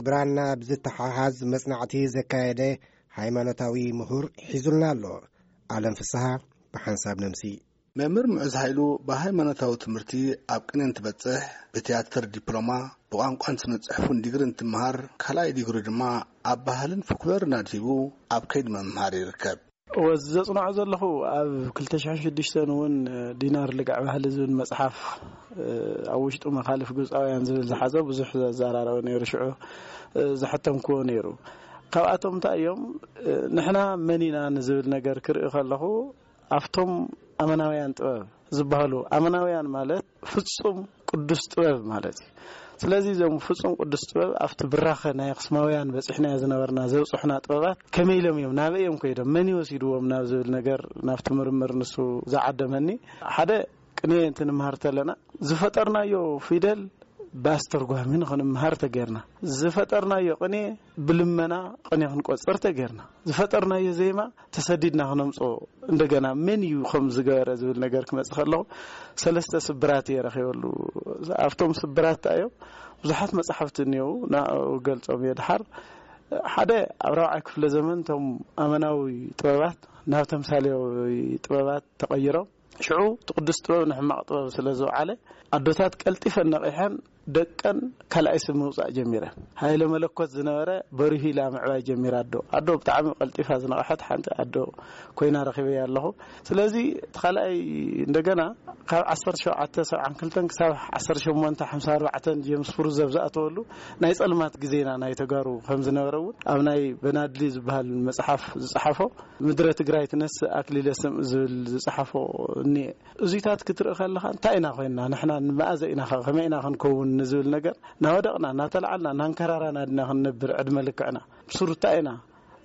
ብራና ብዝተሓሓዝ መጽናዕቲ ዘካየደ ሃይማኖታዊ ምሁር ሒዙልና ኣሎ። ኣለም ፍስሃ ብሓንሳብ ነምሲ። መምህር ምዑዝ ሃይሉ ብሃይማኖታዊ ትምህርቲ ኣብ ቅኔ እንትበጽሕ፣ ብትያትር ዲፕሎማ፣ ብቋንቋን ስነ ጽሑፍን ዲግሪ እንትመሃር፣ ካልኣይ ዲግሪ ድማ ኣብ ባህልን ፎክሎርን ኣድሂቡ ኣብ ከይዲ ምምሃር ይርከብ። እወ፣ ዘጽንዖ ዘለኹ ኣብ ክልተ ሽሕን ሽዱሽተን እውን ዲናር ልግዕ ባህሊ ዝብል መጽሓፍ፣ ኣብ ውሽጡ መኻልፍ ግብጻውያን ዝብል ዝሓዘ ብዙሕ ዘዘራረበ ነይሩ። ሽዑ ዘሐተምክዎ ነይሩ። ካብኣቶም እንታይ እዮም ንሕና መን ኢና ንዝብል ነገር ክርኢ ከለኹ፣ ኣብቶም ኣመናውያን ጥበብ ዝበሃሉ፣ ኣመናውያን ማለት ፍጹም ቅዱስ ጥበብ ማለት እዩ። ስለዚ እዞም ፍጹም ቅዱስ ጥበብ ኣብቲ ብራኸ ናይ ኣኽስማውያን በጺሕናዮ ዝነበርና ዘብጽሑና ጥበባት ከመይ ኢሎም እዮም፣ ናበይ እዮም ከይዶም፣ መን እዩ ወሲድዎም ናብ ዝብል ነገር፣ ናብቲ ምርምር ንሱ ዝዓደመኒ። ሓደ ቅኔ እንትንምሃር ተለና ዝፈጠርናዮ ፊደል ብኣስተርጓሚ ንኽንምሃር ተጌርና፣ ዝፈጠርናዮ ቅኔ ብልመና ቅኔ ክንቆጽር ተጌርና፣ ዝፈጠርናዮ ዜማ ተሰዲድና ክነምጽኦ፣ እንደገና መን እዩ ከም ዝገበረ ዝብል ነገር ክመጽእ ከለኹ፣ ሰለስተ ስብራት እየ ረኺበሉ። ኣብቶም ስብራት እንታይ እዮም? ብዙሓት መጻሕፍቲ እኒአው፣ ንዕኡ ገልጾም እየ ድሓር። ሓደ፣ ኣብ ራብዓይ ክፍለ ዘመን እቶም ኣመናዊ ጥበባት ናብ ተምሳሌዊ ጥበባት ተቐይሮም፣ ሽዑ እቲ ቅዱስ ጥበብ ንሕማቕ ጥበብ ስለ ዝወዓለ፣ ኣዶታት ቀልጢፈን ነቒሐን ደቀን ካልኣይ ስም ምውጻእ ጀሚረን። ሃይለ መለኮት ዝነበረ በሪሁ ኢላ ምዕባይ ጀሚራ ኣዶ። ኣዶ ብጣዕሚ ቀልጢፋ ዝነቕሐት ሓንቲ ኣዶ ኮይና ረኺበያ ኣለኹ። ስለዚ እቲ ካልኣይ እንደገና ካብ ዓሰርተ ሸውዓተ ሰብዓን ክልተን ክሳብ ዓሰርተ ሸሞንተ ሓምሳ ኣርባዕተን ጀምስ ፍሩዘብ ዝኣተወሉ ናይ ጸልማት ግዜና ናይ ተጋሩ ከም ዝነበረ እውን ኣብ ናይ በናድሊ ዝበሃል መጽሓፍ ዝጸሓፎ ምድረ ትግራይ ትነስእ ኣክሊለ ስም ዝብል ዝጸሓፎ እኒኤ። እዚታት ክትርኢ ከለኻ እንታይ ኢና ኮይንና? ንሕና ንመኣዘ ኢና ኸ-፣ ከመይ ኢና ክንከውን ንዝብል ነገር እናወደቕና፣ እናተላዓልና፣ እናንከራራና ድና ክንነብር ዕድመ ልክዕና? ብስሩ እንታይ ኢና?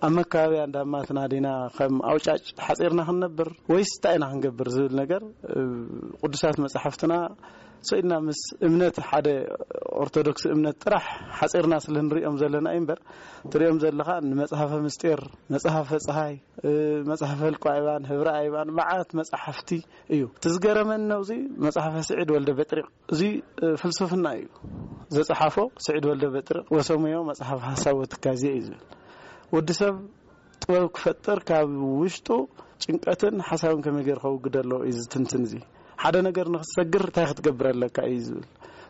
ኣብ መካበብያ እንዳማትና ዲና ከም ኣውጫጭ ሓጺርና ክንነብር ወይስ እንታይ ኢና ክንገብር ዝብል ነገር፣ እ፣ ቅዱሳት መጻሕፍትና ሰኢድና ምስ እምነት ሓደ ኦርቶዶክስ እምነት ጥራሕ ሓጺርና ስለ ንሪኦም ዘለና እዩ እምበር፣ ትሪኦም ዘለኻ ንመጽሓፈ ምስጢር፣ መጽሓፈ ጸሃይ፣ እ፣ መጽሓፈ ህልቆ ኣይባን፣ ህብረ ኣይባን፣ መዓት መጽሓፍቲ እዩ። እቲ ዝገረመኒ ነውዚ መጽሓፈ ስዒድ ወልደ በጥሪቕ፣ እዚ፣ እ፣ ፍልስፍና እዩ። ዘጸሓፎ ስዒድ ወልደ በጥሪቕ ወሰመዮ መጽሓፍ ሓሳብ ወትካዜ እዩ ዝብል። ወዲ ሰብ ጥበብ ክፈጥር ካብ ውሽጡ ጭንቀትን ሓሳብን ከመይ ገይሩ ከውግድ ኣለዎ እዩ ዝትንትን። እዚ ሓደ ነገር ንክትሰግር እንታይ ክትገብር ኣለካ እዩ ዝብል።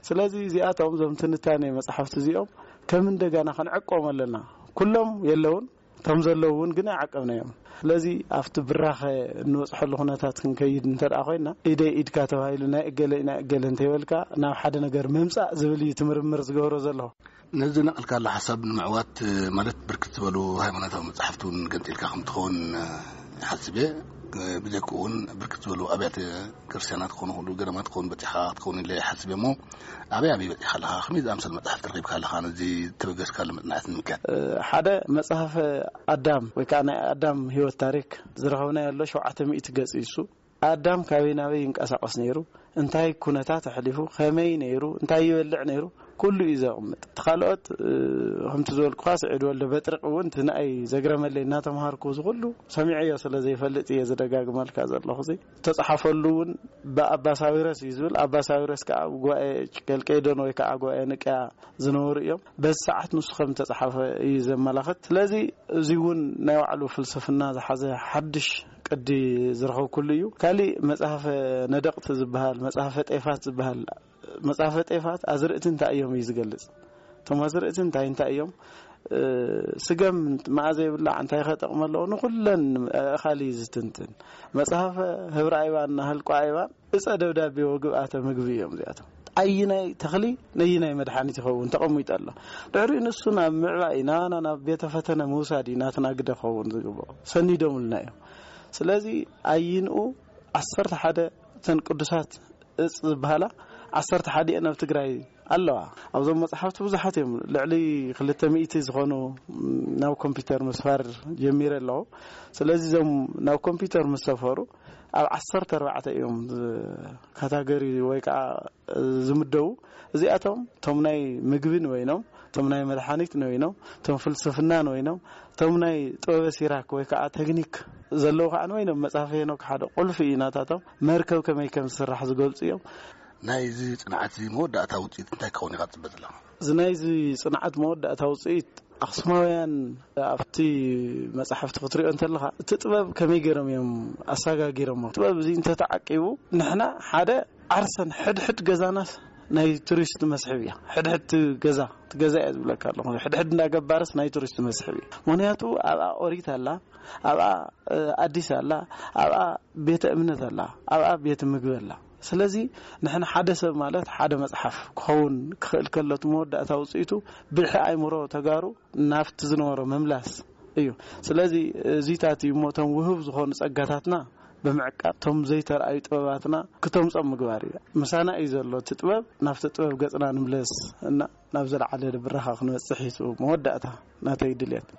ስለዚ እዚኣቶም እዞም ትንታኔ መጽሓፍቲ እዚኦም ከም እንደገና ክንዕቆም ኣለና። ኩሎም የለውን፣ እቶም ዘለዉ እውን ግን ኣይዓቀብናዮም። ስለዚ ኣብቲ ብራኸ እንበጽሐሉ ኩነታት ክንከይድ እንተ ደኣ ኮይንና፣ ኢደይ ኢድካ ተባሂሉ ናይ እገለ ናይ እገለ እንተይበልካ ናብ ሓደ ነገር ምምጻእ ዝብል እዩ እቲ ምርምር ዝገብሮ ዘለኹ። ነዚ ነቐልካሉ ሓሳብ ንምዕዋት፣ ማለት ብርክት ዝበሉ ሃይማኖታዊ መጻሕፍቲ እውን ገንጺልካ ከም ትኸውን ይሓስብ እየ። ብጀክኡ እውን ብርክት ዝበሉ ኣብያተ ክርስቲያናት ክኾኑ ይኽእሉ፣ ገዳማት ክኾኑ በጺሕካ ክትኸውን ኢለ ይሓስብ እየ። እሞ ኣበይ ኣበይ በጺሕካ ኣለኻ? ከመይ ዝኣምሰሉ መጻሕፍቲ ረኺብካ ኣለኻ? ነዚ ተበገስካሉ መጽናዕቲ ንምክያድ። እ፣ ሓደ መጽሓፈ ኣዳም ወይ ከዓ ናይ ኣዳም ህይወት ታሪክ ዝረኸብናዮ ኣሎ፣ ሸውዓተ ሚእቲ ገጽ እዩ እሱ። ኣዳም ካበይ ናበይ ይንቀሳቐስ ነይሩ፣ እንታይ ኩነታት ኣሕሊፉ፣ ከመይ ነይሩ፣ እንታይ ይበልዕ ነይሩ፣ ኩሉ እዩ ዘቕምጥ። እቲ ካልኦት፣ እ፣ ከምቲ ዝበልኩኻ ስዒድ ወልደ በጥርቕ እውን እቲ ንኣይ ዘግረመለይ እናተምሃርኩ እዚ ኩሉ ሰሚዐዮ ስለ ዘይፈልጥ እየ ዝደጋግመልካ ዘለኹ። እዚ ዝተጻሓፈሉ እውን ብኣባ ሳዊረስ እዩ ዝብል። ኣባ ሳዊረስ ከዓ ኣብ ጉባኤ ኬልቄዶን ወይ ከዓ ጉባኤ ንቅያ ዝነበሩ እዮም። በዚ ሰዓት ንሱ ከም ዝተጻሓፈ እዩ ዘመላኽት። ስለዚ እዚ እውን ናይ ባዕሉ ፍልስፍና ዝሓዘ ሓድሽ ቅዲ ዝረኸብኩሉ እዩ። ካሊእ መጽሓፈ ነደቕቲ ዝበሃል፣ መጽሓፈ ጤፋት ዝበሃል፣ መጽሓፈ ጤፋት ኣዝርእቲ እንታይ እዮም እዩ ዝገልጽ። እቶም ኣዝርእቲ እንታይ እንታይ እዮም? እ፣ ስገም መኣ ዘይብላዕ እንታይ ከጠቕሚ ኣለዎ? ንኹለን ኣእኻል እዩ ዝትንትን። መጽሓፈ ህብረ ኣይባን ናህልቆ ኣይባን እጸ ደብዳቤ ወግብኣተ ምግቢ እዮም እዚኣቶም። ኣይናይ ተኽሊ ነይናይ መድሓኒት ይኸውን ተቐሚጡ ኣሎ። ድሕሪኡ ንሱ ናብ ምዕባይ ናባና ናብ ቤተ ፈተነ ምውሳድ እዩ ናትና ግደ ክኸውን ዝግብኦ። ሰኒዶምልና እዮም። ስለዚ ኣይንኡ ዓሰርተ ሓደ እተን ቅዱሳት እጽ ዝበሃላ ዓሰርተ ሓደ እየን ኣብ ትግራይ ኣለዋ። ኣብዞም መጽሓፍቲ ብዙሓት እዮም። ልዕሊ ክልተ ሚእቲ ዝኾኑ፣ ም፣ ናብ ኮምፒውተር ምስፋር ጀሚረ ኣለኹ። ስለዚ እዞም ናብ ኮምፒውተር ምስ ሰፈሩ ኣብ ዓሰርተ ኣርባዕተ እዮም ዝ-፣ ካታጎሪ ወይ ከዓ ዝምደቡ። እዚኣቶም እቶም ናይ ምግቢ ንበይኖም፣ እቶም ናይ መድሓኒት ንበይኖም፣ እቶም ፍልስፍና ንበይኖም፣ እቶም ናይ ጥበበ ሲራክ ወይ ከዓ ቴክኒክ ዘለዉ ከዓ ንበይኖም መፅሓፍ ሄኖክ ሓደ ቁልፊ እዩ። ናታቶም መርከብ ከመይ ከም ዝስራሕ ዝገልፁ እዮም። ናይዚ ፅንዓት እዚ መወዳእታ ውፅኢት እንታይ ክኸውን ኢኻ ትፅበ ዘለኻ? እዚ ናይዚ ፅንዓት መወዳእታ ውፅኢት ኣኽሱማውያን ኣብቲ መፅሓፍቲ ክትሪኦ እንተለኻ እቲ ጥበብ ከመይ ገይሮም እዮም ኣሰጋጊሮሞ። ጥበብ እዚ እንተተዓቂቡ ንሕና ሓደ ዓርሰን ሕድሕድ ገዛናስ ናይ ቱሪስት መስሕብ እያ። ሕድሕድ ገዛ እቲ ገዛ እያ ዝብለካ ኣለኹ። ሕድሕድ እንዳገባርስ ናይ ቱሪስት መስሕብ እዩ። ምክንያቱ ኣብኣ ኦሪት ኣላ፣ ኣብኣ ኣዲስ ኣላ፣ ኣብኣ ቤተ እምነት ኣላ፣ ኣብኣ ቤተ ምግቢ ኣላ። ስለዚ ንሕና ሓደ ሰብ ማለት ሓደ መፅሓፍ ክኸውን ክኽእል ከሎ እቲ መወዳእታ ውፅኢቱ ብልሒ ኣይምሮ ተጋሩ ናብቲ ዝነበሮ ምምላስ እዩ። ስለዚ እዚታት እዩ እሞ እቶም ውህብ ዝኾኑ ፀጋታትና ብምዕቃብ እቶም ዘይተረኣዩ ጥበባትና ክተምፆም ምግባር እዩ። ምሳና እዩ ዘሎ እቲ ጥበብ። ናብቲ ጥበብ ገፅና ንምለስ እና ናብ ዘለዓለ ብራኻ ክንበፅሕ እዩ መወዳእታ ናተይ ድልየት።